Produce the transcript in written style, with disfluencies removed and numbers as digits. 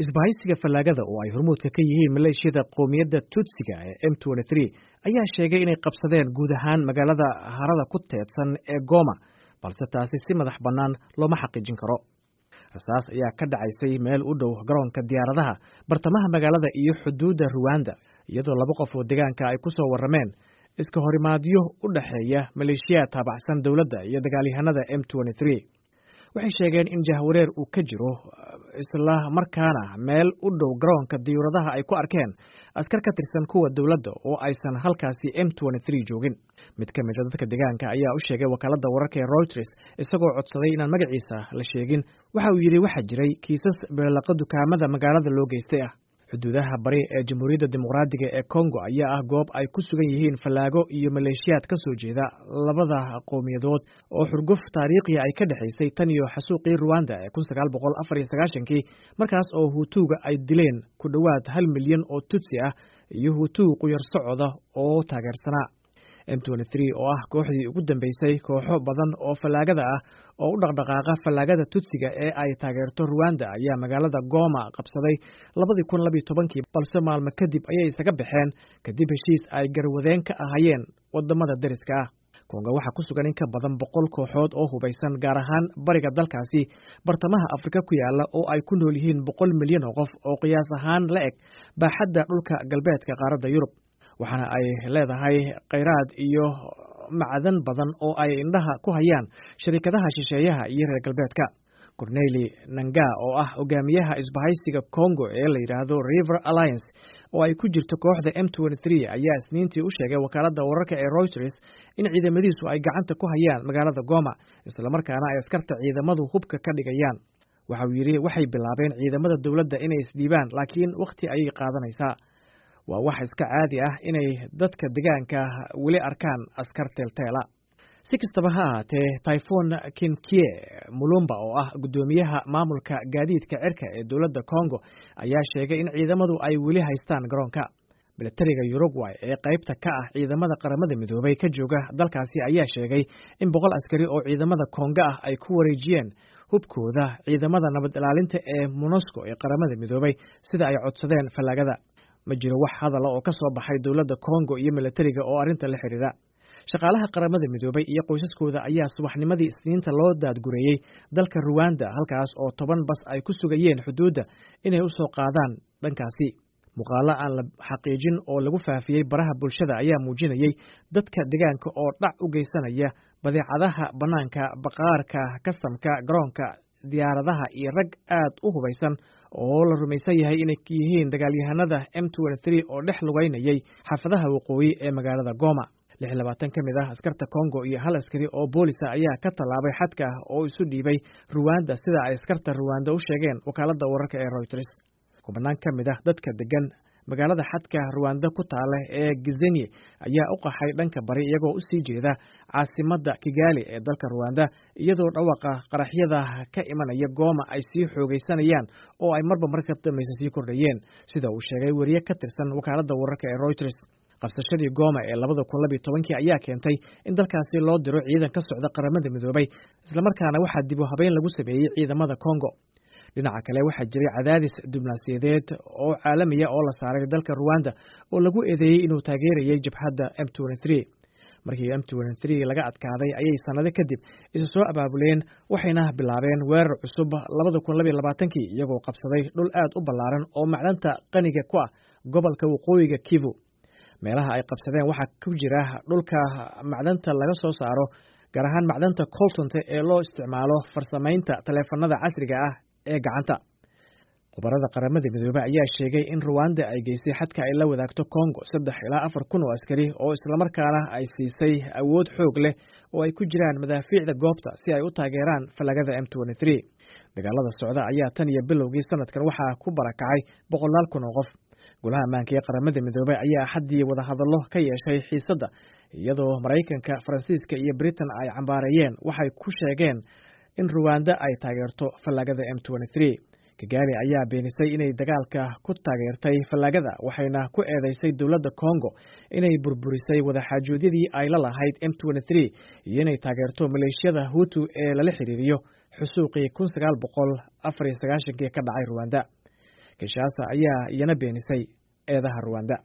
Isbahaysiga fallaagada oo ay hormuudka ka yihiin maleeshiyada qowmiyadda Tutsiga ee M23 ayaa sheegay inay qabsadeen guud ahaan magaalada harada ku teedsan ee Goma, balse taasi si madax bannaan looma xaqiijin karo. Rasaas ayaa ka dhacaysay meel u dhow garoonka diyaaradaha, bartamaha magaalada iyo xuduudda Ruwanda, iyadoo laba qof oo deegaanka ay ku soo warrameen iska horimaadyo u dhexeeya maleeshiyaad taabacsan dowladda iyo dagaalyahanada M23. Waxay sheegeen in jahwareer uu ka jiro, isla markaana meel u dhow garoonka diyuuradaha ay ku arkeen askar ka tirsan kuwa dowladda oo aysan halkaasi M23 joogin. Mid ka mid a dadka deegaanka ayaa u sheegay wakaaladda wararka ee Reuters, isagoo codsaday inaan magaciisa la sheegin. Waxa uu yidhi waxaa jiray kiisas beelaqa dukaamada magaalada loo geystay ah. Xuduudaha bari ee Jamhuuriyadda Dimuqraadiga ee Kongo ayaa ah goob ay ku sugan yihiin fallaago iyo maleeshiyaad ka soo jeeda labada qowmiyadood oo xurguf taariikhiya ay ka dhexaysay tan iyo xasuuqii Ruwanda ee 1994-kii, markaas oo Hutuuga ay dileen ku dhowaad 1 milyan oo Tutsi ah iyo Hutuu quyar socoda oo taageersanaa. M23 oo ah kooxdii ugu dambeysay kooxo badan oo fallaagada ah oo u dhaqdhaqaaqa fallaagada Tutsiga ee ay taageerto Ruwanda ayaa magaalada Goma qabsaday 2012-kii, balse maalmo kadib ayay isaga baxeen kadib heshiis ay garwadeen ka ahaayeen wadamada deriska ah. Kongo waxaa ku sugan in ka badan 100 kooxood oo hubaysan, gaar ahaan bariga dalkaasi bartamaha Afrika ku yaala oo ay ku nool yihiin 100 milyan oo qof oo qiyaas ahaan la eg baaxadda dhulka galbeedka qaaradda Yurub, waxaana ay leedahay kheyraad iyo macdan badan oo ay indhaha ku hayaan sharikadaha shisheeyaha iyo reer galbeedka. Corneli Nanga oo ah hogaamiyaha isbahaysiga Congo ee la yidhaahdo River Alliance oo ay ku jirto kooxda M23 ayaa Isniintii u sheegay wakaaladda wararka ee Reuters in ciidamadiisu ay gacanta ku hayaan magaalada Goma, islamarkaana ay askarta ciidamadu hubka ka dhigayaan. Waxa uu yidhi waxay bilaabeen ciidamada dowladda inay isdhiibaan, laakiin wakhti ayay qaadanaysaa. Waa wax iska caadi ah inay dadka deegaanka weli arkaan askar teelteela. Si kastaba ha ahaatee, Typhon Kinkie Mulumba oo ah guddoomiyaha maamulka gaadiidka cirka ee dowladda Congo ayaa sheegay in ciidamadu ay weli haystaan garoonka. Milatariga Uruguay ee qaybta ka ah ciidamada Qaramada Midoobay ka jooga dalkaasi ayaa sheegay in 100 askari oo ciidamada Kongo ah ay ku wareejiyeen hubkooda ciidamada nabad ilaalinta ee MONUSCO ee Qaramada Midoobay, sida ay codsadeen fallaagada. Ma jiro wax hadala oo ka soo baxay dowladda Kongo iyo milatariga oo arrinta la xiriira. Shaqaalaha Qaramada Midoobay iyo qoysaskooda ayaa subaxnimadii Isniinta loo daadgureeyey dalka Ruwanda, halkaas oo 10 bas ay ku sugayeen xuduudda inay u soo qaadaan dhankaasi. Muuqaalo aan la xaqiijin oo lagu faafiyey baraha bulshada ayaa muujinayey dadka deegaanka oo dhac u geysanaya badeecadaha bannaanka baqaarka kastamka garoonka diyaaradaha iyo rag aad u hubaysan oo la rumaysan yahay inay yihiin dagaalyahanada M23 oo dhex lugeynayay xaafadaha waqooyi ee magaalada Goma. 26 ka mid ah askarta Congo iyo hal askari oo boolisa ayaa ka tallaabay xadka oo isu dhiibay Ruwanda, sida ay askarta Ruwanda u sheegeen wakaaladda wararka ee Reuters. Kubanaan ka mid ah dadka degan magaalada xadka Ruwanda ku taala ee Gizenyi ayaa u qaxay dhanka bari, iyagoo u sii jeeda caasimadda Kigali ee dalka Ruwanda, iyadoo dhawaaqa qaraxyada ka imanaya Gooma ay sii xoogaysanayaan oo ay marba marka dambaysa sii kordhayeen, sida uu sheegay weriye ka tirsan wakaaladda wararka ee Reuters. Qabsashadii Gooma ee 2012-kii ayaa keentay in dalkaasi loo diro ciidan ka socda Qaramada Midoobay, islamarkaana waxaa dib u habeyn lagu sameeyey ciidamada Congo. Dhinaca kale, waxaa jiray cadaadis diblomaasiyadeed oo caalamiya oo la saaray dalka Ruwanda oo lagu eedeeyey inuu taageerayay jabhadda M23. Markii M23 laga adkaaday ayay sannado kadib isu soo abaabuleen, waxayna bilaabeen weerar cusub 2022-kii, iyagoo qabsaday dhul aad u ballaaran oo macdanta qaniga ku ah gobolka waqooyiga Kivu. Meelaha ay qabsadeen waxaa ku jira dhulka macdanta laga soo saaro, gaar ahaan macdanta coltonte ee loo isticmaalo farsamaynta taleefanada casriga ah ee gacanta. Khubarada Qaramada Midoobey ayaa sheegay in Ruwanda ay geysay xadka ay la wadaagto Congo 3 ilaa 4 kun oo askari oo islamarkaana ay siisay awood xoog leh oo ay ku jiraan madaafiicda goobta si ay u taageeraan fallagada M23. Dagaalada socda ayaa tan iyo bilowgii sanadkan waxaa ku barakacay boqolaal kun oo qof. Golaha ammaanka ee Qaramada Midoobey ayaa Axaddii wadahadallo ka yeeshay xiisadda, iyadoo Maraykanka, Faransiiska iyo Britain ay cambaareeyeen waxay ku sheegeen in Ruwanda ay taageerto fallaagada M23. Kigali ayaa beenisay inay dagaalka ku taageertay fallaagada, waxayna ku eedeysay dowladda Congo inay burburisay wadaxaajoodiyadii ay la lahayd M23 iyo inay taageerto maleeshiyada Hutu ee lala xiriiriyo xusuuqii 1994-kii ka dhacay Ruwanda. Kinshasa ayaa iyana beenisay eedaha Ruwanda.